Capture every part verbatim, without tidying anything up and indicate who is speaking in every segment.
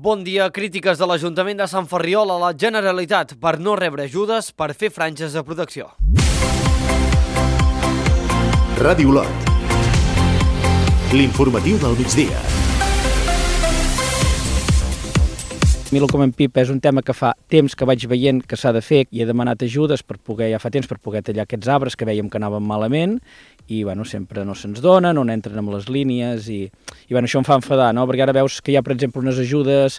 Speaker 1: Bon dia. Crítiques de l'Ajuntament de Sant Ferriol a la Generalitat per no rebre ajudes per fer franges de protecció.
Speaker 2: Ràdio Olot. L'informatiu del migdia.
Speaker 3: A mi el com en Pip és un tema que fa temps que vaig veient que s'ha de fer i he demanat ajudes per poder, ja fa temps, per poder tallar aquests arbres que vèiem que anaven malament i bueno, sempre no se'ns donen, no entren amb les línies i, i bueno, això em fa enfadar, no? Perquè ara veus que hi ha, per exemple, unes ajudes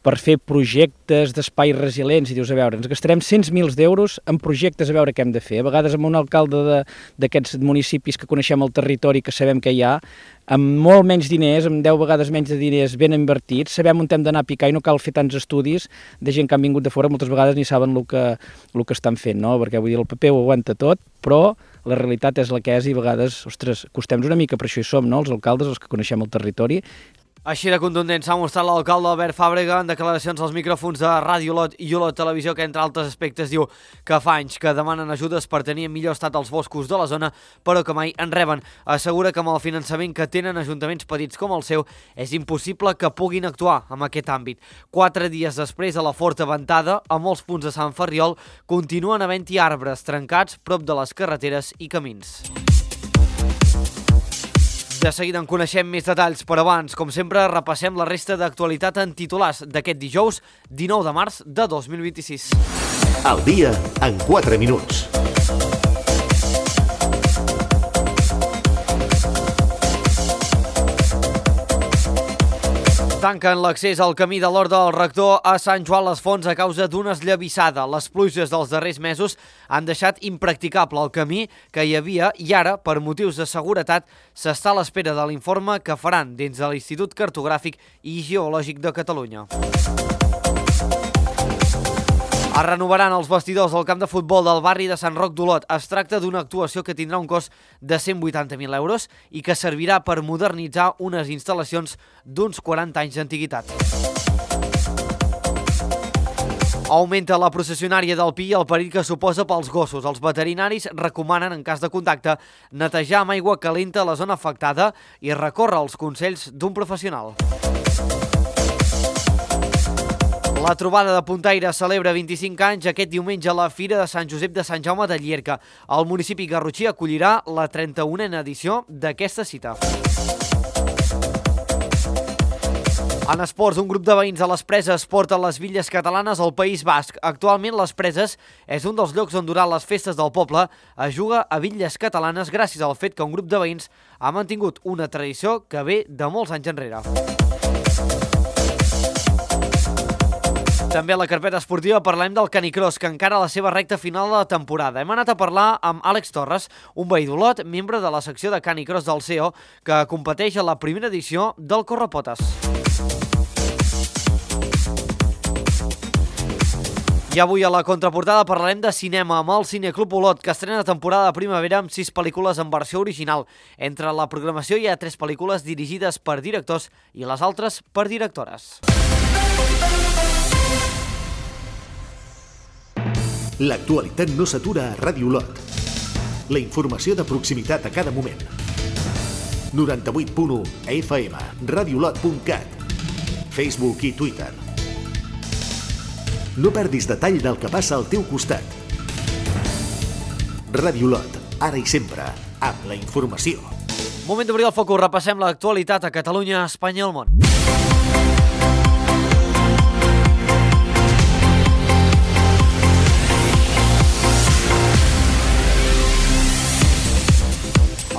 Speaker 3: per fer projectes d'espais resilients i dius, a veure, ens gastarem cent mil d'euros en projectes a veure què hem de fer. A vegades amb un alcalde d'aquests municipis que coneixem el territori, que sabem que hi ha, amb molt menys diners, amb deu vegades menys de diners ben invertits, sabem on hem d'anar a picar i no cal fer tants estudis de gent que han vingut de fora, moltes vegades ni saben el que, el que estan fent, no? Perquè vull dir, el paper ho aguanta tot, però la realitat és la que és i a vegades, ostres, costem-nos una mica, per això hi som, no?, els alcaldes, els que coneixem el territori.
Speaker 1: Així de contundent s'ha mostrat l'alcalde Albert Fàbrega en declaracions als micròfons de Ràdio Olot i Olot Televisió, que entre altres aspectes diu que fa anys que demanen ajudes per tenir en millor estat els boscos de la zona, però que mai en reben. Assegura que amb el finançament que tenen ajuntaments petits com el seu és impossible que puguin actuar en aquest àmbit. Quatre dies després de la forta ventada, a molts punts de Sant Ferriol continuen havent-hi arbres trencats prop de les carreteres i camins. De seguida en coneixem més detalls, però abans, com sempre, repassem la resta d'actualitat en titulars d'aquest dijous dinou de març de dos mil vint-i-sis.
Speaker 2: Al dia en quatre minuts.
Speaker 1: Tanquen l'accés al camí de l'Hort del Rector a Sant Joan les Fonts a causa d'una esllavissada. Les pluges dels darrers mesos han deixat impracticable el camí que hi havia i ara, per motius de seguretat, s'està a l'espera de l'informe que faran dins de l'Institut Cartogràfic i Geològic de Catalunya. Es renovaran els vestidors del camp de futbol del barri de Sant Roc d'Olot. Es tracta d'una actuació que tindrà un cost de cent vuitanta mil euros i que servirà per modernitzar unes instal·lacions d'uns quaranta anys d'antiguitat. Augmenta la processionària del Pi i el perill que suposa pels gossos. Els veterinaris recomanen, en cas de contacte, netejar amb aigua calenta la zona afectada i recórrer als consells d'un professional. La trobada de puntaires celebra vint-i-cinc anys aquest diumenge a la Fira de Sant Josep de Sant Jaume de Llierca. El municipi garrotxí acollirà la trenta-unena edició d'aquesta cita. En esports, un grup de veïns a les Preses porta les Villes Catalanes al País Basc. Actualment, les Preses és un dels llocs on durant les festes del poble es juga a Villes Catalanes gràcies al fet que un grup de veïns ha mantingut una tradició que ve de molts anys enrere. També a la carpeta esportiva parlem del canicross, que encara a la seva recta final de la temporada. Hem anat a parlar amb Àlex Torres, un veí d'Olot, membre de la secció de canicross del C E O, que competeix a la primera edició del Correpotes. I avui a la contraportada parlarem de cinema amb el Cineclub Olot, que estrena temporada de primavera amb sis pel·lícules en versió original. Entre la programació hi ha tres pel·lícules dirigides per directors i les altres per directores.
Speaker 2: L'actualitat no s'atura a Ràdio Olot. La informació de proximitat a cada moment. noranta-vuit punt u F M, radiolot punt cat, Facebook i Twitter. No perdis detall del que passa al teu costat. Ràdio Olot, ara i sempre, amb la informació.
Speaker 1: Moment d'obrir el focus, repassem l'actualitat a Catalunya, Espanya i el món.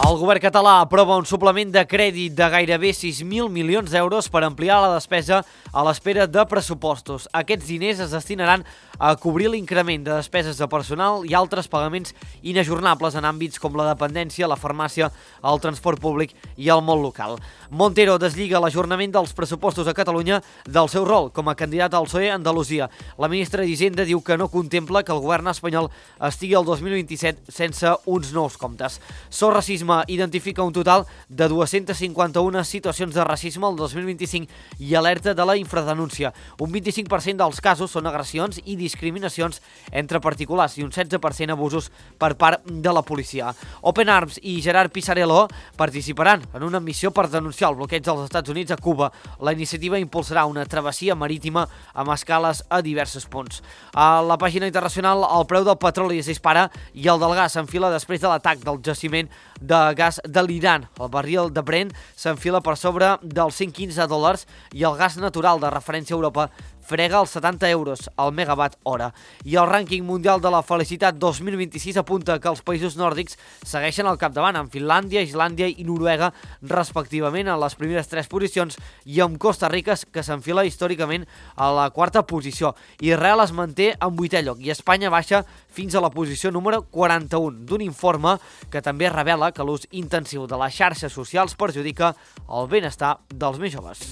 Speaker 1: El govern català aprova un suplement de crèdit de gairebé sis mil milions d'euros per ampliar la despesa a l'espera de pressupostos. Aquests diners es destinaran a cobrir l'increment de despeses de personal i altres pagaments inajornables en àmbits com la dependència, la farmàcia, el transport públic i el món local. Montero deslliga l'ajornament dels pressupostos a Catalunya del seu rol com a candidat al P S O E a Andalusia. La ministra d'Hisenda diu que no contempla que el govern espanyol estigui el dos mil vint-i-set sense uns nous comptes. So Racisme identifica un total de dues-centes cinquanta-una situacions de racisme el dos mil vint-i-cinc i alerta de la infradenúncia. Un vint-i-cinc per cent dels casos són agressions i discriminacions entre particulars i un setze per cent abusos per part de la policia. Open Arms i Gerard Pisarello participaran en una missió per denunciar el bloqueig dels Estats Units a Cuba. La iniciativa impulsarà una travessia marítima amb escales a diversos punts. A la pàgina internacional, el preu del petroli es dispara i el del gas s'enfila després de l'atac del jaciment de gas de l'Iran. El barril de Brent s'enfila per sobre dels cent quinze dòlars i el gas natural de referència a Europa frega els setanta euros al megawatt hora. I el rànquing mundial de la felicitat dos mil vint-i-sis apunta que els països nòrdics segueixen al capdavant, amb Finlàndia, Islàndia i Noruega, respectivament, en les primeres tres posicions, i amb Costa Rica, que s'enfila històricament a la quarta posició. Israel es manté en vuitè lloc i Espanya baixa fins a la posició número quaranta-un, d'un informe que també revela que l'ús intensiu de les xarxes socials perjudica el benestar dels més joves.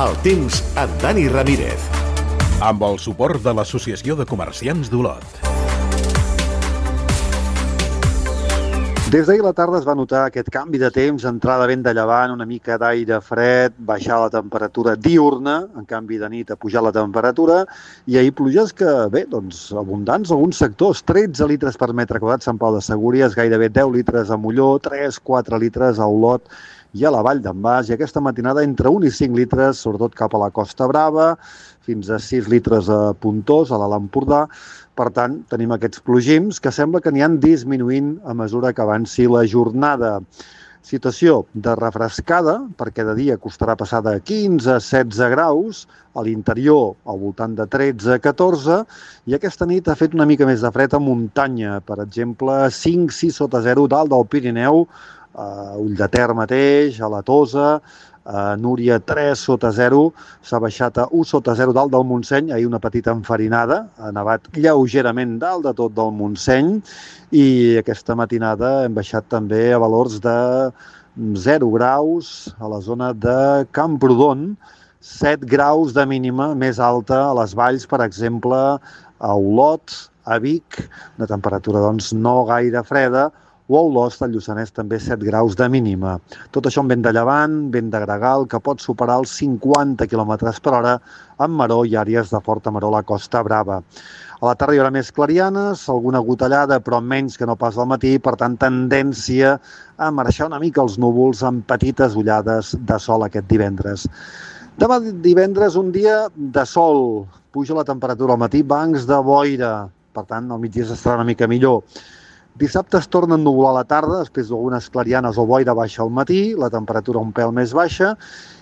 Speaker 2: El temps amb Dani Ramírez.
Speaker 4: Amb el suport de l'Associació de Comerciants d'Olot.
Speaker 5: Des d'ahir a la tarda es va notar aquest canvi de temps, entrada vent de llevant, una mica d'aire fred, baixar la temperatura diurna, en canvi de nit a pujar la temperatura, i ahir pluges que, bé, doncs, abundants en alguns sectors, tretze litres per metre quadrat Sant Pau de Segúries, gairebé deu litres a Molló, tres quatre litres a Olot i a la Vall d'en Bas, i aquesta matinada entre un i cinc litres, sobretot cap a la Costa Brava, fins a sis litres a Pontós, a l'Alt Empordà. Per tant, tenim aquests plogims que sembla que aniran disminuint a mesura que avanci la jornada. Situació de refrescada, perquè de dia costarà passar de quinze a setze graus, a l'interior al voltant de tretze a catorze, i aquesta nit ha fet una mica més de fred a muntanya, per exemple, cinc sis sota zero dalt del Pirineu, a Ull de Ter mateix, a la Tosa, a Núria tres sota zero, s'ha baixat a u sota zero dalt del Montseny, ahir una petita enfarinada, ha nevat lleugerament dalt de tot del Montseny, i aquesta matinada hem baixat també a valors de zero graus a la zona de Camprodon, set graus de mínima més alta a les valls, per exemple, a Olot, a Vic, una temperatura doncs no gaire freda, o a Olost, al Lluçanès, també set graus de mínima. Tot això amb vent de llevant, vent de gregal, que pot superar els cinquanta quilòmetres per hora amb maró i àrees de forta maró a la Costa Brava. A la tarda hi haurà més clarianes, alguna gotellada, però menys que no pas al matí, per tant, tendència a marxar una mica els núvols amb petites ullades de sol aquest divendres. Demà divendres, un dia de sol, puja la temperatura al matí, bancs de boira, per tant, al migdia s'estarà una mica millor. Dissabte es torna a ennuvolar a la tarda, després d'algunes clarianes o boira baixa al matí, la temperatura un pèl més baixa,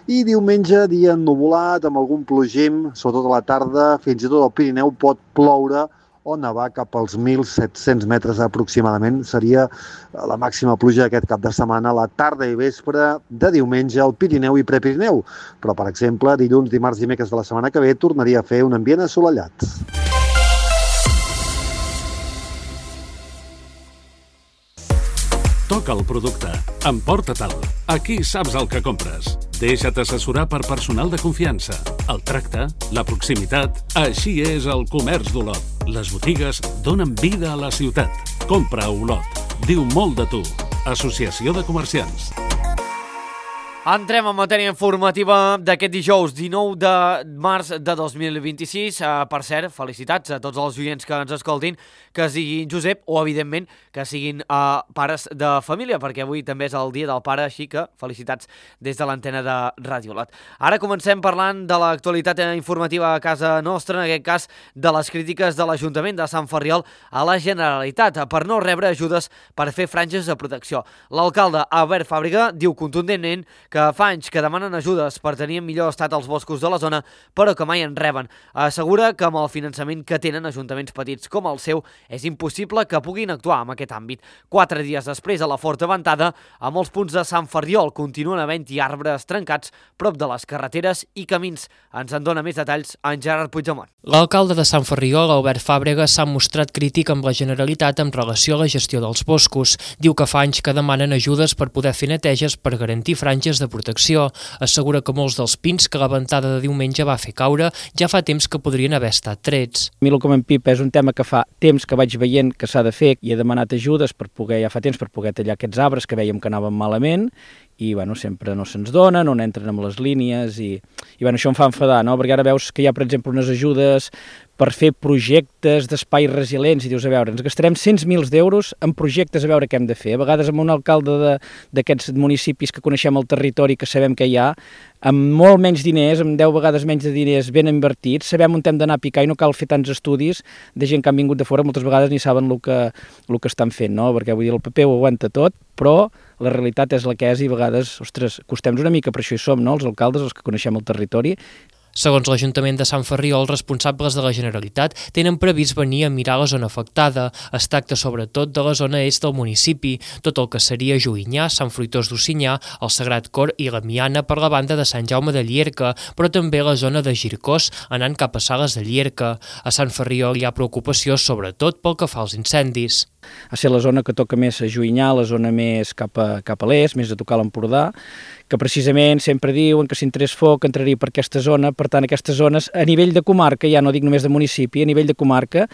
Speaker 5: i diumenge dia ennuvolat amb algun plogim, sobretot a la tarda, fins i tot al Pirineu pot ploure o nevar cap als mil set-cents metres aproximadament. Seria la màxima pluja d'aquest cap de setmana, a la tarda i vespre de diumenge al Pirineu i Prepirineu. Però, per exemple, dilluns, dimarts i dimecres de la setmana que ve tornaria a fer un ambient assolellat.
Speaker 6: Toca el producte. Emporta-te'l. Aquí saps el que compres. Deixa't assessorar per personal de confiança. El tracte, la proximitat... Així és el comerç d'Olot. Les botigues donen vida a la ciutat. Compra a Olot. Diu molt de tu. Associació de Comerciants.
Speaker 1: Entrem en matèria informativa d'aquest dijous dinou de març de dos mil vint-i-sis. Uh, per cert, felicitats a tots els oients que ens escoltin, que siguin Josep o, evidentment, que siguin uh, pares de família, perquè avui també és el dia del pare, així que felicitats des de l'antena de Ràdio Olot. Ara comencem parlant de l'actualitat informativa a casa nostra, en aquest cas de les crítiques de l'Ajuntament de Sant Ferriol a la Generalitat per no rebre ajudes per fer franges de protecció. L'alcalde Albert Fàbrega diu contundentment que fa anys que demanen ajudes per tenir en millor estat els boscos de la zona, però que mai en reben. Assegura que amb el finançament que tenen ajuntaments petits com el seu, és impossible que puguin actuar en aquest àmbit. Quatre dies després, a la Forta Ventada, a molts punts de Sant Ferriol continuen havent-hi arbres trencats prop de les carreteres i camins. Ens en dona més detalls en Gerard Puigdemont.
Speaker 7: L'alcalde de Sant Ferriol, Albert Fàbrega, s'ha mostrat crític amb la Generalitat en relació a la gestió dels boscos. Diu que fa anys que demanen ajudes per poder fer neteges per garantir franges de protecció. Assegura que molts dels pins que la ventada de diumenge va fer caure ja fa temps que podrien haver estat trets.
Speaker 3: A mi el com en Pip és un tema que fa temps que vaig veient que s'ha de fer i he demanat ajudes per poder, ja fa temps per poder tallar aquests arbres que vèiem que anaven malament i bueno, sempre no se'ns donen, no entren amb les línies i, i bueno, això em fa enfadar, no? Perquè ara veus que hi ha, per exemple, unes ajudes per fer projectes d'espais resilients i dius, a veure, ens gastarem cent mil d'euros en projectes a veure què hem de fer. A vegades amb un alcalde d'aquests municipis que coneixem el territori, que sabem que hi ha, amb molt menys diners, amb deu vegades menys de diners ben invertits, sabem on hem d'anar a picar i no cal fer tants estudis de gent que han vingut de fora, moltes vegades ni saben el que, el que estan fent, no? Perquè vull dir, el paper ho aguanta tot, però la realitat és la que és i a vegades, ostres, costem-nos una mica, per això hi som, no?, els alcaldes, els que coneixem el territori.
Speaker 7: Segons l'Ajuntament de Sant Ferriol, els responsables de la Generalitat tenen previst venir a mirar la zona afectada. Es tracta sobretot de la zona est del municipi, tot el que seria Juïnyà, Sant Fruitós d'Ocinyà, el Sagrat Cor i la Miana per la banda de Sant Jaume de Llierca, però també la zona de Gircós, anant cap a Sales de Llierca. A Sant Ferriol hi ha preocupació sobretot pel que fa als incendis.
Speaker 3: Ha ser la zona que toca més a Juïnyà, la zona més cap a, cap a l'est, més a tocar l'Empordà, que precisament sempre diuen que si entrés foc entraria per aquesta zona, per tant aquestes zones a nivell de comarca, ja no dic només de municipi, a nivell de comarca,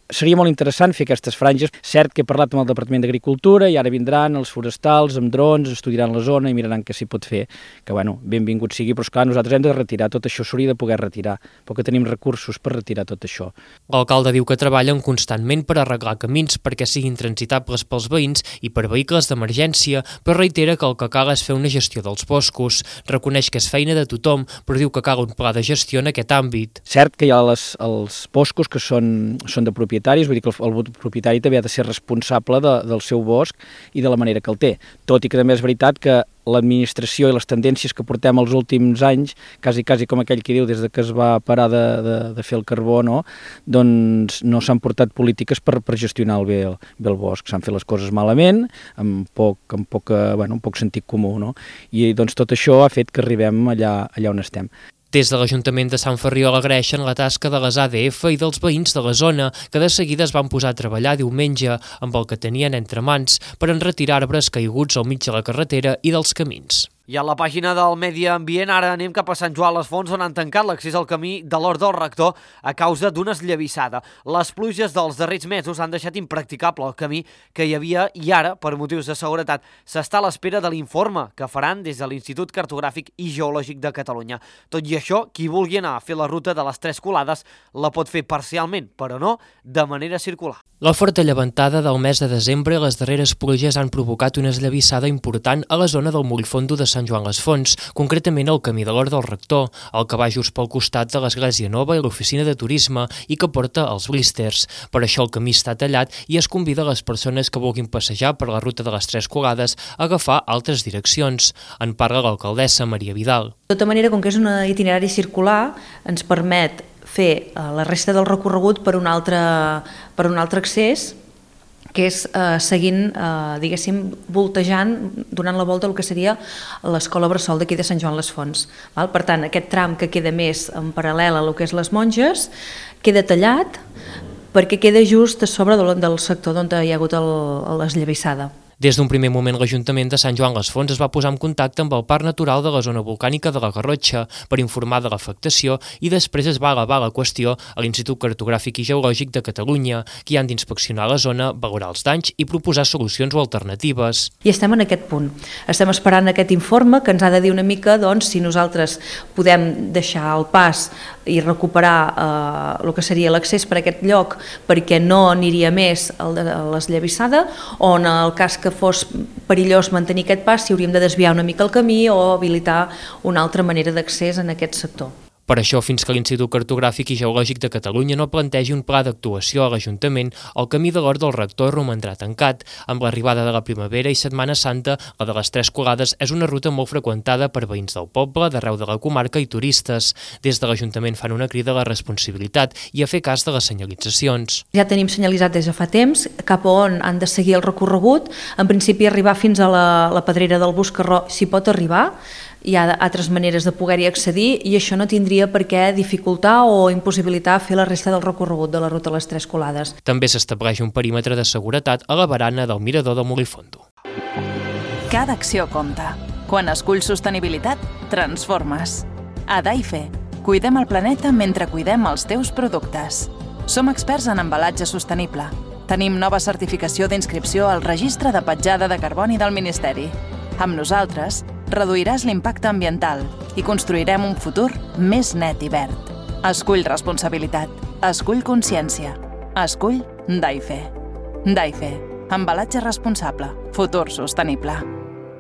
Speaker 3: seria molt interessant fer aquestes franges. Cert que he parlat amb el Departament d'Agricultura i ara vindran els forestals amb drons, estudiaran la zona i miraran què s'hi pot fer, que bueno, benvingut sigui, però esclar, nosaltres hem de retirar tot això, s'hauria de poder retirar, perquè tenim recursos per retirar tot això.
Speaker 7: L'alcalde diu que treballen constantment per arreglar camins perquè siguin transitables pels veïns i per vehicles d'emergència, però reitera que el que cal és fer una gestió dels boscos. Reconeix que és feina de tothom, però diu que cal un pla de gestió en aquest àmbit.
Speaker 3: Cert que hi ha les, els boscos que són, són de propietat, vull dir que el, el propietari també ha de ser responsable de, del seu bosc i de la manera que el té. Tot i que també és veritat que l'administració i les tendències que portem els últims anys, quasi, quasi com aquell que diu, des de que es va parar de, de, de fer el carbó, no? Doncs no s'han portat polítiques per, per gestionar el bé, el, bé el bosc. S'han fet les coses malament, amb poc, amb poca, bueno, amb poc sentit comú, no? I doncs tot això ha fet que arribem allà, allà on estem.
Speaker 7: Des de l'Ajuntament de Sant Ferriol agraeixen la tasca de les A D F i dels veïns de la zona, que de seguida es van posar a treballar diumenge amb el que tenien entre mans per enretirar arbres caiguts al mig de la carretera i dels camins.
Speaker 1: I a la pàgina del Medi Ambient ara anem cap a Sant Joan les Fonts, on han tancat l'accés al camí de l'Hort del Rector a causa d'una esllavissada. Les pluges dels darrers mesos han deixat impracticable el camí que hi havia i ara, per motius de seguretat, s'està a l'espera de l'informe que faran des de l'Institut Cartogràfic i Geològic de Catalunya. Tot i això, qui vulgui anar a fer la ruta de les Tres Colades la pot fer parcialment, però no de manera circular.
Speaker 7: La forta llevantada del mes de desembre i les darreres pluges han provocat una esllavissada important a la zona del Mollfondo de Sant Joan les Fonts, concretament al camí de l'Hort del Rector, el que va just pel costat de l'Església Nova i l'oficina de turisme i que porta els blísters. Per això el camí està tallat i es convida a les persones que vulguin passejar per la ruta de les Tres Colades a agafar altres direccions. En parla l'alcaldessa Maria Vidal.
Speaker 8: De tota manera, com que és un itinerari circular, ens permet fer la resta del recorregut per un altre, per un altre accés, que és eh, seguint, eh, diguéssim, voltejant, donant la volta al que seria l'escola bressol d'aquí de Sant Joan les Fonts. Val? Per tant, aquest tram que queda més en paral·lel a lo que és les Monges queda tallat perquè queda just a sobre del sector on hi ha hagut l'esllavissada.
Speaker 7: Des d'un primer moment, l'Ajuntament de Sant Joan les Fonts es va posar en contacte amb el Parc Natural de la Zona Volcànica de la Garrotxa per informar de l'afectació i després es va elevar la qüestió a l'Institut Cartogràfic i Geològic de Catalunya, que han d'inspeccionar la zona, valorar els danys i proposar solucions o alternatives.
Speaker 8: I estem en aquest punt. Estem esperant aquest informe que ens ha de dir una mica doncs, si nosaltres podem deixar el pas i recuperar eh, el que seria l'accés per aquest lloc perquè no aniria més a l'esllavissada, o en el cas que que fos perillós mantenir aquest pas, si hauríem de desviar una mica el camí o habilitar una altra manera d'accés en aquest sector.
Speaker 7: Per això, fins que l'Institut Cartogràfic i Geològic de Catalunya no plantegi un pla d'actuació a l'Ajuntament, el camí de l'Hort del Rector romandrà tancat. Amb l'arribada de la primavera i Setmana Santa, la de les Tres Colades és una ruta molt freqüentada per veïns del poble, d'arreu de la comarca i turistes. Des de l'Ajuntament fan una crida a la responsabilitat i a fer cas de les senyalitzacions.
Speaker 8: Ja tenim senyalitzat des de fa temps cap a on han de seguir el recorregut. En principi, arribar fins a la, la Pedrera del Buscarró s'hi pot arribar. Hi ha altres maneres de poder-hi accedir i això no tindria per què dificultar o impossibilitar fer la resta del recorregut de la ruta a les Tres Colades.
Speaker 7: També s'estableix un perímetre de seguretat a la barana del mirador del Mollfondo.
Speaker 9: Cada acció compta. Quan esculls sostenibilitat, transformes. A Daife, cuidem el planeta mentre cuidem els teus productes. Som experts en embalatge sostenible. Tenim nova certificació d'inscripció al Registre de Petjada de Carboni del Ministeri. Amb nosaltres, reduiràs l'impacte ambiental i construirem un futur més net i verd. Escull responsabilitat. Escull consciència. Escull Daife. Daife. Embalatge responsable. Futur sostenible.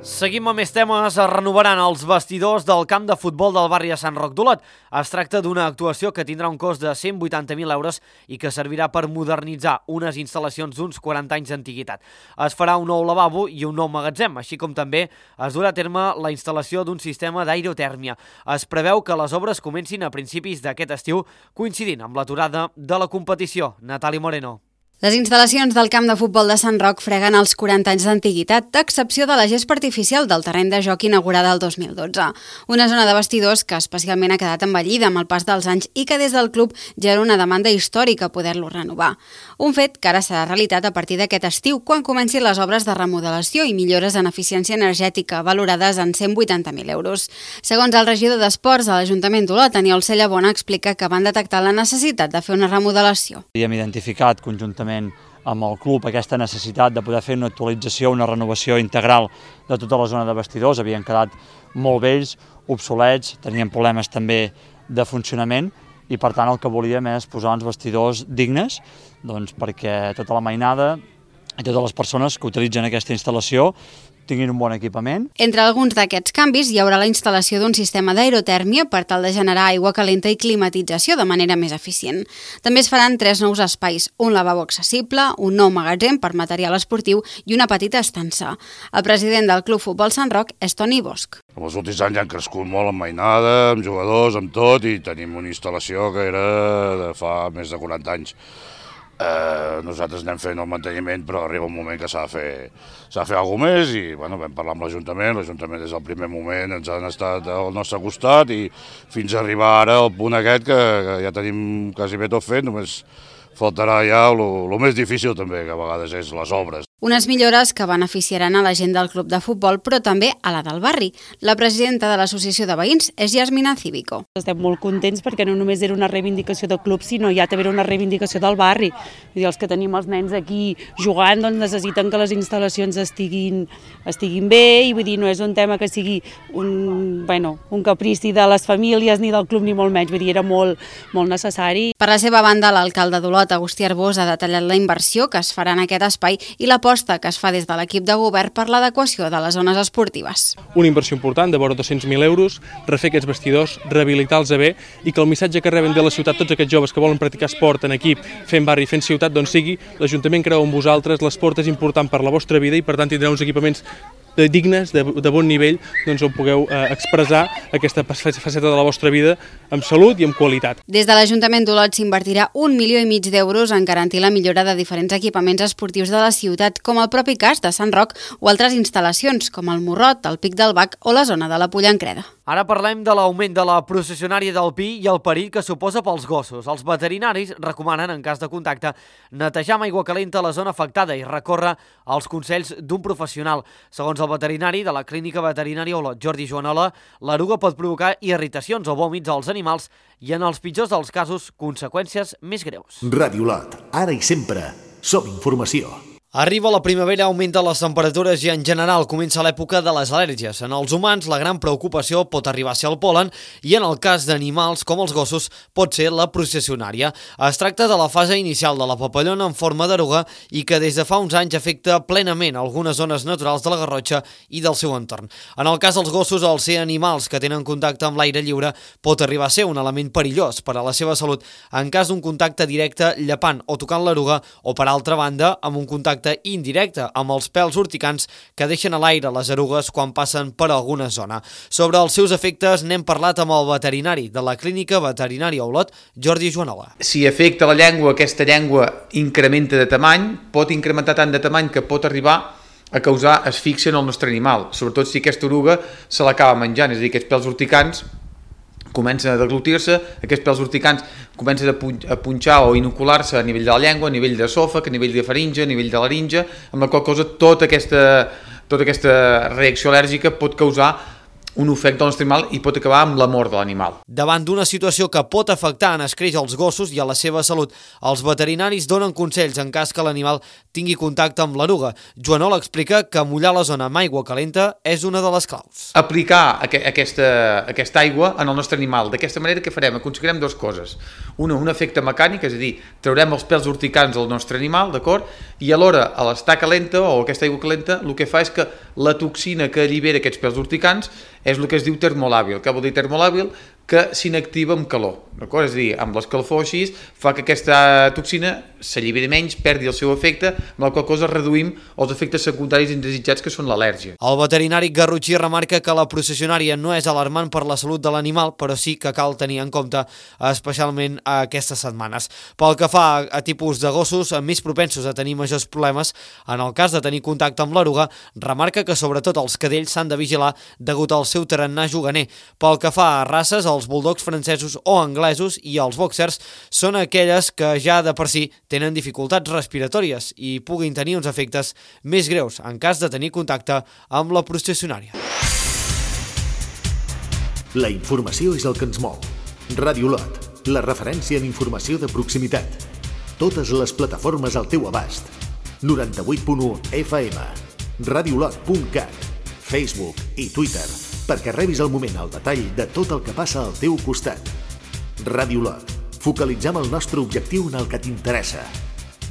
Speaker 1: Seguim amb més temes. Es renovaran els vestidors del camp de futbol del barri de Sant Roc d'Olot. Es tracta d'una actuació que tindrà un cost de cent vuitanta mil euros i que servirà per modernitzar unes instal·lacions d'uns quaranta anys d'antiguitat. Es farà un nou lavabo i un nou magatzem, així com també es durà a terme la instal·lació d'un sistema d'aerotèrmia. Es preveu que les obres comencin a principis d'aquest estiu, coincidint amb l'aturada de la competició. Natàlia Moreno.
Speaker 10: Les instal·lacions del camp de futbol de Sant Roc freguen els quaranta anys d'antiguitat, a excepció de la gespa artificial del terreny de joc inaugurada el dos mil dotze. Una zona de vestidors que especialment ha quedat envellida amb el pas dels anys i que des del club ja era una demanda històrica poder-lo renovar. Un fet que ara serà realitat a partir d'aquest estiu, quan comencin les obres de remodelació i millores en eficiència energètica, valorades en cent vuitanta mil euros. Segons el regidor d'Esports de l'Ajuntament d'Olot, Aniol Cellabona, explica que van detectar la necessitat de fer una remodelació.
Speaker 11: Hem identificat conjuntament amb el club aquesta necessitat de poder fer una actualització, una renovació integral de tota la zona de vestidors. Havien quedat molt vells, obsolets, tenien problemes també de funcionament i per tant el que volíem és posar uns vestidors dignes doncs, perquè tota la mainada i totes les persones que utilitzen aquesta instal·lació tinguin un bon equipament.
Speaker 10: Entre alguns d'aquests canvis hi haurà la instal·lació d'un sistema d'aerotèrmia per tal de generar aigua calenta i climatització de manera més eficient. També es faran tres nous espais, un lavabo accessible, un nou magatzem per material esportiu i una petita estança. El president del Club Futbol Sant Roc és Toni Bosch.
Speaker 12: En els últims anys han crescut molt amb mainada, amb jugadors, amb tot, i tenim una instal·lació que era de fa més de quaranta anys. Eh, nosaltres anem fent el manteniment, però arriba un moment que s'ha de fer, s'ha de fer alguna més i bueno, vam parlar amb l'Ajuntament, l'Ajuntament des del primer moment ens han estat al nostre costat i fins a arribar ara al punt aquest que, que ja tenim quasi bé tot fet, només faltarà ja el més difícil també, que a vegades és les obres.
Speaker 10: Unes millores que beneficiaran a la gent del club de futbol, però també a la del barri. La presidenta de l'Associació de Veïns és Yasmina Cívico.
Speaker 13: Estem molt contents perquè no només era una reivindicació del club, sinó ja també era una reivindicació del barri. Vull dir, els que tenim els nens aquí jugant doncs necessiten que les instal·lacions estiguin, estiguin bé i vull dir, no és un tema que sigui un, bueno, un caprici de les famílies ni del club ni molt menys, vull dir, era molt, molt necessari.
Speaker 10: Per la seva banda, l'alcalde d'Olot, Agustí Arbós, ha detallat la inversió que es farà en aquest espai i la aposta que es fa des de l'equip de govern per l'adequació de les zones esportives.
Speaker 14: Una inversió important de vora dos-cents mil euros, refer aquests vestidors, rehabilitar-los bé i que el missatge que reben de la ciutat tots aquests joves que volen practicar esport en equip, fent barri, fent ciutat, doncs sigui l'Ajuntament creu en vosaltres, l'esport és important per la vostra vida i per tant tindreu uns equipaments dignes, de, de bon nivell, doncs on pugueu eh, expressar aquesta faceta de la vostra vida amb salut i amb qualitat.
Speaker 10: Des de l'Ajuntament d'Olot s'invertirà un milió i mig d'euros en garantir la millora de diferents equipaments esportius de la ciutat, com el propi cas de Sant Roc o altres instal·lacions, com el Morrot, el Pic del Bac o la zona de la Pollancreda.
Speaker 1: Ara parlem de l'augment de la processionària del pi i el perill que suposa pels gossos. Els veterinaris recomanen, en cas de contacte, netejar amb aigua calenta la zona afectada i recórrer als consells d'un professional. Segons el veterinari de la Clínica Veterinària Olot, Jordi Joanola, l'eruga pot provocar irritacions o vòmits als animals i, en els pitjors dels casos, conseqüències més greus.
Speaker 2: Ràdio Olot, ara i sempre, som informació.
Speaker 1: Arriba la primavera, augmenten les temperatures i en general comença l'època de les al·lèrgies. En els humans la gran preocupació pot arribar a ser el pol·len i en el cas d'animals com els gossos pot ser la processionària. Es tracta de la fase inicial de la papallona en forma d'eruga i que des de fa uns anys afecta plenament algunes zones naturals de la Garrotxa i del seu entorn. En el cas dels gossos, al ser animals que tenen contacte amb l'aire lliure pot arribar a ser un element perillós per a la seva salut en cas d'un contacte directe llepant o tocant l'eruga o, per altra banda, amb un contacte indirecte amb els pèls urticants que deixen a l'aire les erugues quan passen per alguna zona. Sobre els seus efectes n'hem parlat amb el veterinari de la Clínica Veterinària Olot, Jordi Joanola.
Speaker 15: Si afecta la llengua, aquesta llengua incrementa de tamany, pot incrementar tant de tamany que pot arribar a causar asfíxia en el nostre animal, sobretot si aquesta eruga se l'acaba menjant, és a dir, aquests pèls urticants comencen a deglutir-se, aquests pèls urticants comencen a punxar o inocular-se a nivell de la llengua, a nivell de l'esòfag, a nivell de faringe, a nivell de laringe, amb la qual cosa tota aquesta tota aquesta reacció al·lèrgica pot causar un ofec del nostre animal i pot acabar amb la mort de l'animal.
Speaker 1: Davant d'una situació que pot afectar en escreix als gossos i a la seva salut, els veterinaris donen consells en cas que l'animal tingui contacte amb l'eruga. Joanol explica que mullar la zona amb aigua calenta és una de les claus.
Speaker 15: Aplicar aquesta, aquesta aigua en el nostre animal. D'aquesta manera què farem? Aconseguirem dues coses. Una, un efecte mecànic, és a dir, traurem els pèls urticants del nostre animal, d'acord? I alhora, a l'estar calenta o aquesta aigua calenta, el que fa és que la toxina que allibera aquests pèls urticants és el que es diu termolàbil. Què vol dir termolàbil? Que s'inactiva amb calor, d'acord? És a dir, amb l'escalfor així fa que aquesta toxina s'alliberi menys, perdi el seu efecte, amb la qual cosa reduïm els efectes secundaris indesitjats que són l'al·lèrgia.
Speaker 1: El veterinari Garrotxí remarca que la processionària no és alarmant per la salut de l'animal, però sí que cal tenir en compte especialment aquestes setmanes. Pel que fa a tipus de gossos més propensos a tenir majors problemes, en el cas de tenir contacte amb l'eruga, remarca que sobretot els cadells s'han de vigilar degut al seu tarannà juganer. Pel que fa a races, els bulldogs francesos o anglesos i els boxers són aquelles que ja de per si tenen dificultats respiratòries i puguin tenir uns efectes més greus en cas de tenir contacte amb la processionària.
Speaker 2: La informació és el que ens mou. Ràdio Lot, la referència en informació de proximitat. Totes les plataformes al teu abast. noranta-vuit punt u F M, radiolot punt cat, Facebook i Twitter, perquè rebis al moment el detall de tot el que passa al teu costat. Ràdio Lot. Focalitzem el nostre objectiu en el que t'interessa.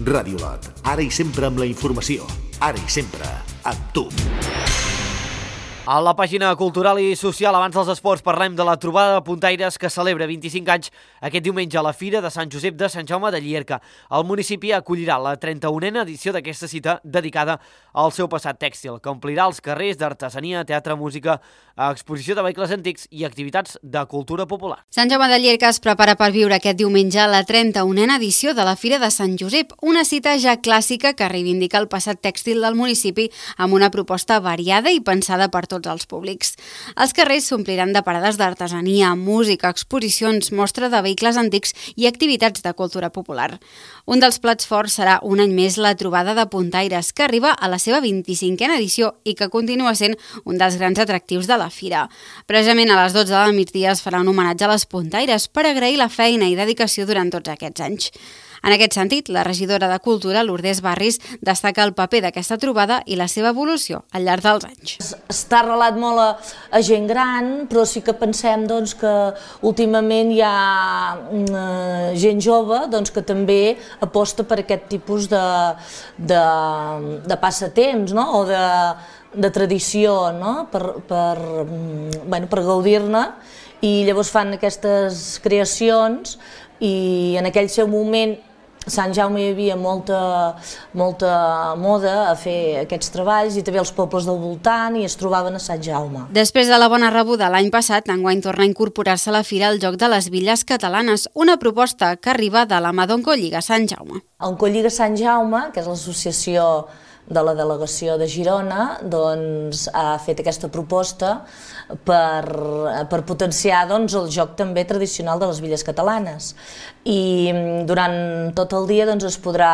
Speaker 2: Ràdio Lot. Ara i sempre amb la informació. Ara i sempre amb tu.
Speaker 1: A la pàgina cultural i social, abans dels esports, parlem de la trobada de puntaires que celebra vint-i-cinc anys aquest diumenge a la Fira de Sant Josep de Sant Jaume de Llierca. El municipi acollirà la trenta-unena edició d'aquesta cita dedicada al seu passat tèxtil, que omplirà els carrers d'artesania, teatre, música, exposició de vehicles antics i activitats de cultura popular.
Speaker 10: Sant Jaume de Llierca es prepara per viure aquest diumenge la trenta-unena edició de la Fira de Sant Josep, una cita ja clàssica que reivindica el passat tèxtil del municipi amb una proposta variada i pensada per tots els públics. Els carrers s'ompliran de parades d'artesania, música, exposicions, mostra de vehicles antics i activitats de cultura popular. Un dels plats forts serà un any més la trobada de puntaires, que arriba a la seva vint-i-cinquena edició i que continua sent un dels grans atractius de la fira. Precisament a les dotze del migdia es farà un homenatge a les puntaires per agrair la feina i dedicació durant tots aquests anys. En aquest sentit, la regidora de Cultura, Lourdes Barris, destaca el paper d'aquesta trobada i la seva evolució al llarg dels anys.
Speaker 16: Està arrelat molt a, a gent gran, però sí que pensem doncs, que últimament hi ha uh, gent jove doncs, que també aposta per aquest tipus de, de, de passatemps, no? O de, de tradició, no? per, per, bueno, per gaudir-ne, i llavors fan aquestes creacions i en aquell seu moment a Sant Jaume hi havia molta, molta moda a fer aquests treballs i també els pobles del voltant i es trobaven a Sant Jaume.
Speaker 10: Després de la bona rebuda l'any passat, enguany torna a incorporar-se a la fira el Joc de les Villes Catalanes, una proposta que arriba de la mà d'Oncolliga Sant Jaume.
Speaker 16: Oncolliga Sant Jaume, que és l'associació de la delegació de Girona, doncs, ha fet aquesta proposta per, per potenciar doncs, el joc també tradicional de les villes catalanes. I durant tot el dia doncs, es podrà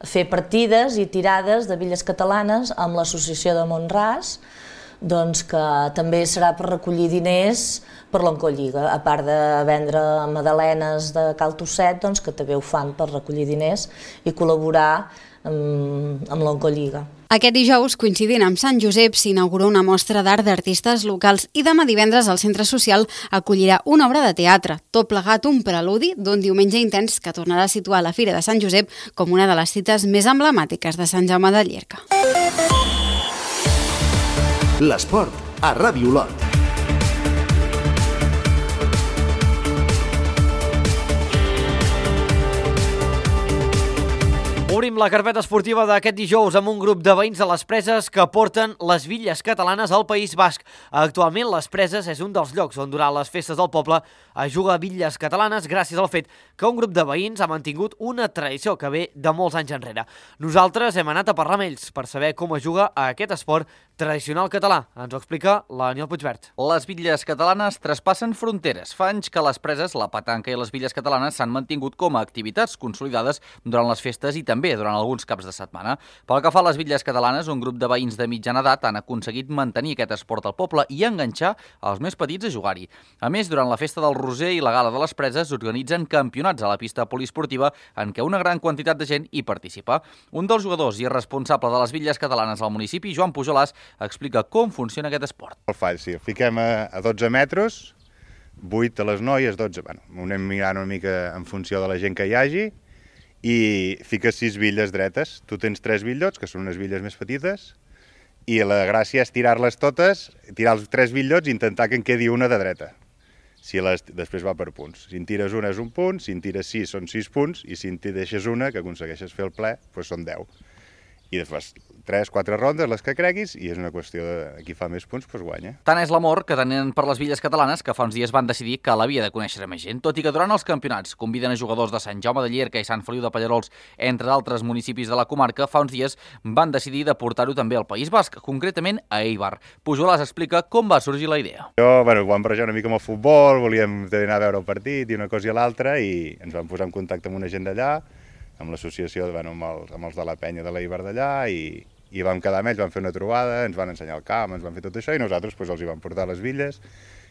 Speaker 16: fer partides i tirades de villes catalanes amb l'associació de Mont-ras, doncs, que també serà per recollir diners per l'Oncolliga, a part de vendre magdalenes de Cal Tosset, doncs, que també ho fan per recollir diners i col·laborar amb, amb l'Oncolliga.
Speaker 10: Aquest dijous, coincidint amb Sant Josep, s'inaugura una mostra d'art d'artistes locals i demà divendres el Centre Social acollirà una obra de teatre, tot plegat un preludi d'un diumenge intens que tornarà a situar la Fira de Sant Josep com una de les cites més emblemàtiques de Sant Jaume de Llierca.
Speaker 2: L'esport a Ràdio Lot.
Speaker 1: Obrim la carpeta esportiva d'aquest dijous amb un grup de veïns de les Preses que porten les Villes Catalanes al País Basc. Actualment les Preses és un dels llocs on durant les festes del poble es juga a Villes Catalanes gràcies al fet que un grup de veïns ha mantingut una tradició que ve de molts anys enrere. Nosaltres hem anat a parlar amb ells per saber com es juga a aquest esport tradicional català. Ens ho explica l'Aniel Puigvert.
Speaker 17: Les Villes Catalanes traspassen fronteres. Fa anys que les Preses, la petanca i les Villes Catalanes s'han mantingut com a activitats consolidades durant les festes i també també durant alguns caps de setmana. Pel que fa a les bitlles catalanes, un grup de veïns de mitjana edat han aconseguit mantenir aquest esport al poble i enganxar els més petits a jugar-hi. A més, durant la festa del Roser i la Gala de les Preses organitzen campionats a la pista poliesportiva en què una gran quantitat de gent hi participa. Un dels jugadors i responsable de les bitlles catalanes al municipi, Joan Pujolàs, explica com funciona aquest esport.
Speaker 18: Molt fàcil, fiquem a dotze metres, vuit a les noies, dotze, bueno, anem mirant una mica en funció de la gent que hi hagi, i fiques sis bitlles dretes. Tu tens tres bitllots, que són unes bitlles més petites, i la gràcia és tirar-les totes, tirar els tres bitllots i intentar que en quedi una de dreta. Si les, després va per punts. Si en tires una és un punt, si en tires sis són sis punts, i si en deixes una, que aconsegueixes fer el ple, doncs són deu. I després tres, quatre rondes, les que creguis, i és una qüestió de qui fa més punts, doncs guanya.
Speaker 17: Tant és l'amor que tenen per les bitlles catalanes que fa uns dies van decidir que l'havia de conèixer més gent, tot i que durant els campionats conviden a jugadors de Sant Jaume de Llierca i Sant Feliu de Pallerols, entre d'altres municipis de la comarca, fa uns dies van decidir de portar-ho també al País Basc, concretament a Eibar. Pujolàs explica com va sorgir la idea.
Speaker 18: Jo, bueno, vam barrejar una mica amb el futbol, volíem anar a veure el partit i una cosa i l'altra, i ens vam posar en contacte amb una gent d'allà, amb l'associació, bueno, amb, els, amb els de la penya de l'Eibar d'allà, i, i vam quedar amb ells, vam fer una trobada, ens van ensenyar el camp, ens van fer tot això, i nosaltres pues, els hi vam portar les bitlles,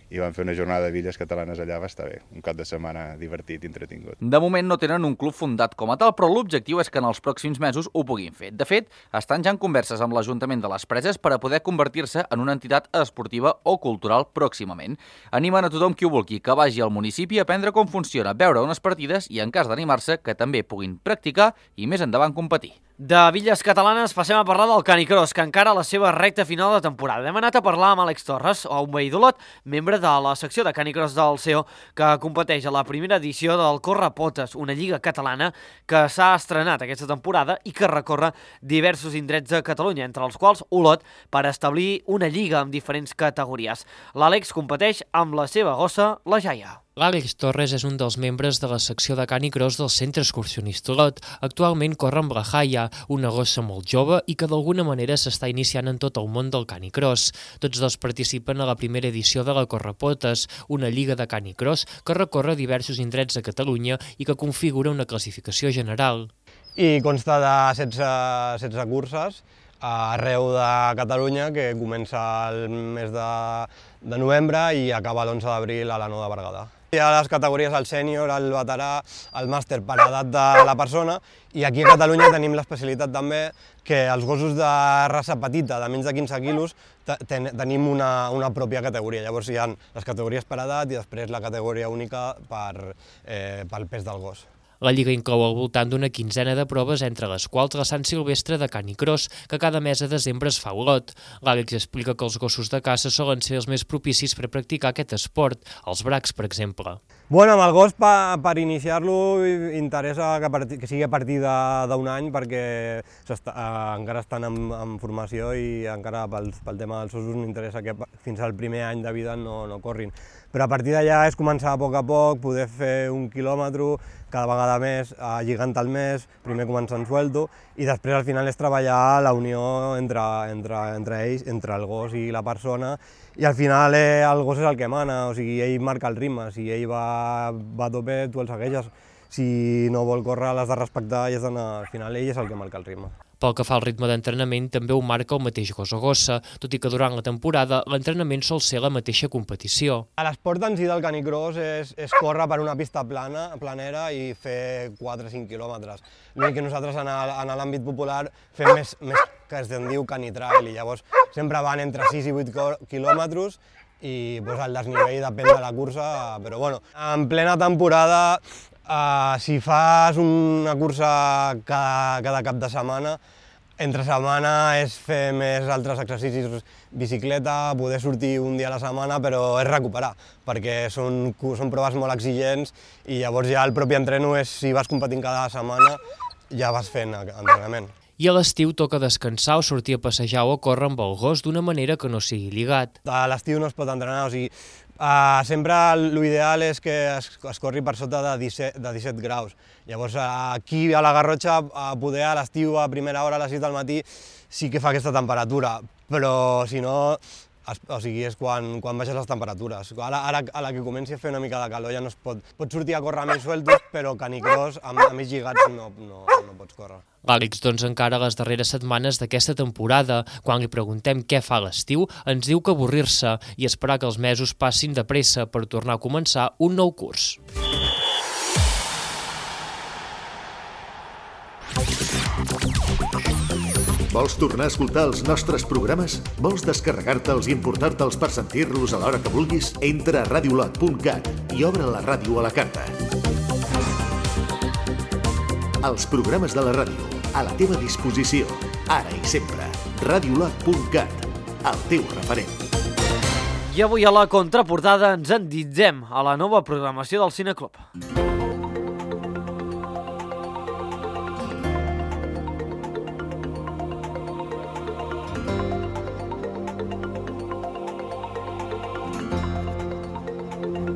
Speaker 18: i vam fer una jornada de bitlles catalanes allà, va estar bé, un cap de setmana divertit, entretingut.
Speaker 17: De moment no tenen un club fundat com a tal, però l'objectiu és que en els pròxims mesos ho puguin fer. De fet, estan ja en converses amb l'Ajuntament de les Preses per a poder convertir-se en una entitat esportiva o cultural pròximament. Animen a tothom qui ho vulgui que vagi al municipi a aprendre com funciona, veure unes partides i, en cas d'animar-se, que també puguin practicar i més endavant competir.
Speaker 1: De bitlles catalanes passem a parlar del Canicross, que encara a la seva recta final de temporada. Hem anat a parlar amb Àlex Torres, un veí d'Olot, membre de la secció de Canicross del C E O, que competeix a la primera edició del Correpotes, una lliga catalana que s'ha estrenat aquesta temporada i que recorre diversos indrets de Catalunya, entre els quals Olot, per establir una lliga amb diferents categories. L'Àlex competeix amb la seva gossa, la Jaia.
Speaker 7: L'Àlex Torres és un dels membres de la secció de Canicross del Centre Excursionista Olot. Actualment corre amb la Jaia, una gossa molt jove i que d'alguna manera s'està iniciant en tot el món del Canicross. Tots dos participen a la primera edició de la Correpotes, una lliga de Canicross que recorre diversos indrets de Catalunya i que configura una classificació general.
Speaker 19: I consta de setze, setze curses arreu de Catalunya, que comença el mes de, de novembre i acaba l'onze d'abril a la Nou de Berguedà. Hi ha les categories el sènior, el veterà, el màster per edat de la persona, i aquí a Catalunya tenim l'especialitat també que els gossos de raça petita, de menys de quinze quilos, ten tenim una, una pròpia categoria. Llavors hi ha les categories per edat i després la categoria única per, eh, pel pes del gos.
Speaker 7: La Lliga inclou al voltant d'una quinzena de proves, entre les quals la Sant Silvestre de Canicross, que cada mes de desembre es fa a Olot. L'Àlex explica que els gossos de caça solen ser els més propicis per practicar aquest esport, els bracs, per exemple.
Speaker 19: Bueno, amb el gos, per, per iniciar-lo, interessa que, parti, que sigui a partir d'un any, perquè està, eh, encara estan en, en formació i encara pel, pel tema dels ossos m'interessa que fins al primer any de vida no, no corrin. Però a partir d'allà és començar a poc a poc, poder fer un quilòmetre cada vegada més, lligant al mes, primer començant suelto, i després al final és treballar la unió entre, entre, entre ells, entre el gos i la persona, i al final eh, el gos és el que mana, o sigui, ell marca el ritme, si ell va, va a tope, tu el segueixes, si no vol córrer l'has de respectar i has d'anar, al final ell és el que marca el ritme.
Speaker 7: Pel que fa al ritme d'entrenament, també ho marca el mateix gos o gossa, tot i que durant la temporada l'entrenament sol ser la mateixa competició.
Speaker 19: L'esport en si del Canicross és, és córrer per una pista plana, planera i fer quatre o cinc quilòmetres. L'únic que nosaltres en l'àmbit popular fem més, més que es diu canitrail, i llavors sempre van entre sis i vuit quilòmetres i pues, el desnivell depèn de la cursa, però bueno, en plena temporada, Uh, si fas una cursa cada, cada cap de setmana, entre setmana és fer més altres exercicis, bicicleta, poder sortir un dia a la setmana, però és recuperar, perquè són, són proves molt exigents i llavors ja el propi entreno és, si vas competint cada setmana, ja vas fent entrenament.
Speaker 7: I a l'estiu toca descansar o sortir a passejar o a córrer amb el gos d'una manera que no sigui lligat.
Speaker 19: A l'estiu no es pot entrenar, o sigui, Uh, sempre l'ideal és que es, es corri per sota de disset, de disset graus. Llavors aquí a la Garrotxa, a poder a l'estiu a primera hora a les sis del matí sí que fa aquesta temperatura, però si no o sigui, és quan, quan baixes les temperatures. Ara, ara a la que comenci a fer una mica de calor ja no es pot, pots sortir a córrer més sueltos, però canicross amb, amb més lligats no, no, no pots córrer.
Speaker 7: L'Àlex, doncs, encara a les darreres setmanes d'aquesta temporada, quan li preguntem què fa a l'estiu, ens diu que avorrir-se i esperar que els mesos passin de pressa per tornar a començar un nou curs.
Speaker 2: Vols tornar a escoltar els nostres programes? Vols descarregar-te'ls i importar-te'ls per sentir-los a l'hora que vulguis? Entra a radiolot punt cat i obre la ràdio a la carta. Els programes de la ràdio, a la teva disposició, ara i sempre. radiolot punt cat, el teu referent.
Speaker 1: I avui a la contraportada ens endinsem a la nova programació del Cineclub.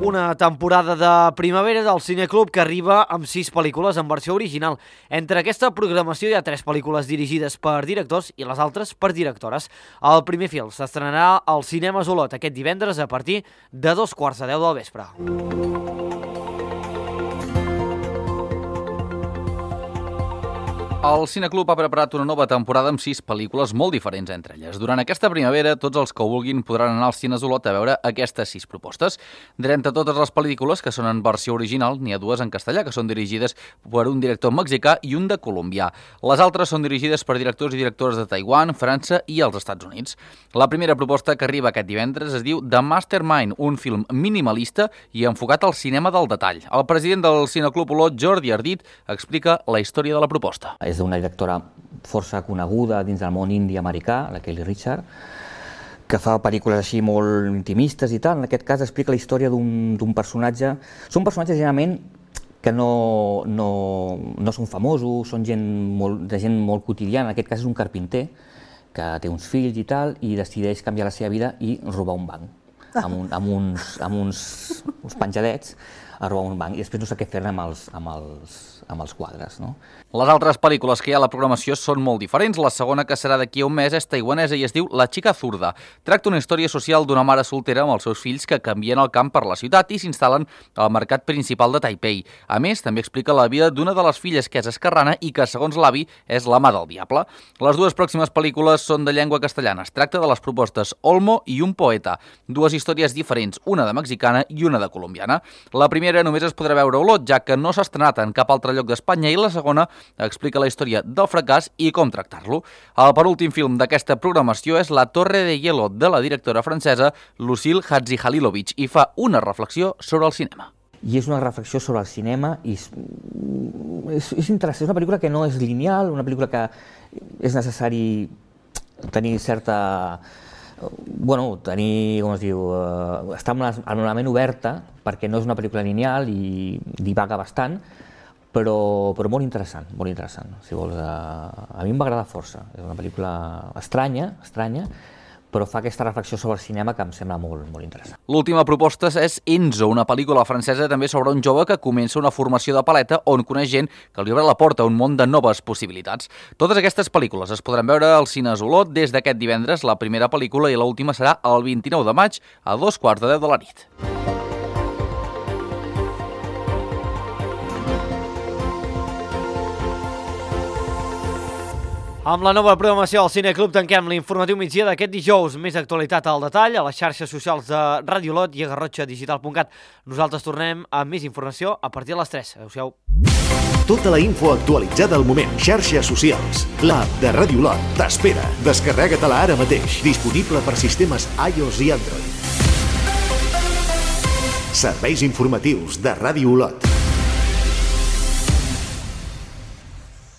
Speaker 1: Una temporada de primavera del Cineclub que arriba amb sis pel·lícules en versió original. Entre aquesta programació hi ha tres pel·lícules dirigides per directors i les altres per directores. El primer film s'estrenarà al Cinemes Olot aquest divendres a partir de dos quarts de deu del vespre.
Speaker 17: El Cineclub ha preparat una nova temporada amb sis pel·lícules molt diferents entre elles. Durant aquesta primavera, tots els que ho vulguin podran anar als cines Olot a veure aquestes sis propostes. D'entre totes les pel·lícules que són en versió original, n'hi ha dues en castellà, que són dirigides per un director mexicà i un de colombià. Les altres són dirigides per directors i directores de Taiwan, França i els Estats Units. La primera proposta que arriba aquest divendres es diu The Mastermind, un film minimalista i enfocat al cinema del detall. El president del Cineclub Olot, Jordi Ardit, explica la història de la proposta.
Speaker 20: És d'una directora força coneguda dins del món indi americà, la Kelly Richard, que fa pel·lícules així molt intimistes i tal. En aquest cas explica la història d'un personatge. Són personatges generalment que no, no, no són famosos, són gent molt, de gent molt quotidiana. En aquest cas és un carpinter que té uns fills i tal i decideix canviar la seva vida i robar un banc. Amb, un, amb, uns, amb uns, uns penjadets a robar un banc i després no sé què fer-ne amb els, amb els, amb els quadres, no?
Speaker 17: Les altres pel·lícules que hi ha a la programació són molt diferents. La segona, que serà d'aquí a un mes, és taiwanesa i es diu La xica zurda. Tracta una història social d'una mare soltera amb els seus fills que canvien el camp per la ciutat i s'instal·len al mercat principal de Taipei. A més, també explica la vida d'una de les filles que és esquerrana i que, segons l'avi, és la mà del diable. Les dues pròximes pel·lícules són de llengua castellana. Es tracta de les propostes Olmo i un poeta. Dues històries diferents, una de mexicana i una de colombiana. La primera només es podrà veure a Olot, ja que no s'ha estrenat en cap altre lloc d'Espanya, i la segona explica la història del fracàs i com tractar-lo. El penúltim film d'aquesta programació és La Torre de Hielo, de la directora francesa Lucille Hadzihalilovic, i fa una reflexió sobre el cinema.
Speaker 20: I és una reflexió sobre el cinema i és, és, és interessant. És una pel·lícula que no és lineal, una pel·lícula que és necessari tenir certa... Bueno, tenir, com es diu, eh, estar amb la, amb la ment oberta, perquè no és una pel·lícula lineal i divaga bastant, però, però molt interessant, molt interessant. Si vols, eh, a mi em va agradar força. És una pel·lícula estranya, estranya, però fa aquesta reflexió sobre el cinema que em sembla molt, molt interessant.
Speaker 17: L'última proposta és Enzo, una pel·lícula francesa també sobre un jove que comença una formació de paleta on coneix gent que li obre la porta a un món de noves possibilitats. Totes aquestes pel·lícules es podran veure al Cines Olot des d'aquest divendres. La primera pel·lícula i l'última serà el vint-i-nou de maig a dos quarts de deu de la nit.
Speaker 1: Amb la nova programació del Cineclub tanquem l'informatiu migdia d'aquest dijous. Més actualitat al detall a les xarxes socials de Ràdio Olot i a garrotxa digital punt cat. Nosaltres tornem amb més informació a partir de les tres. Adéu-siau.
Speaker 2: Tota la info actualitzada al moment. Xarxes socials. L'app de Ràdio Olot t'espera. Descarrega-te-la ara mateix. Disponible per sistemes iOS i Android. Serveis informatius de Ràdio Olot.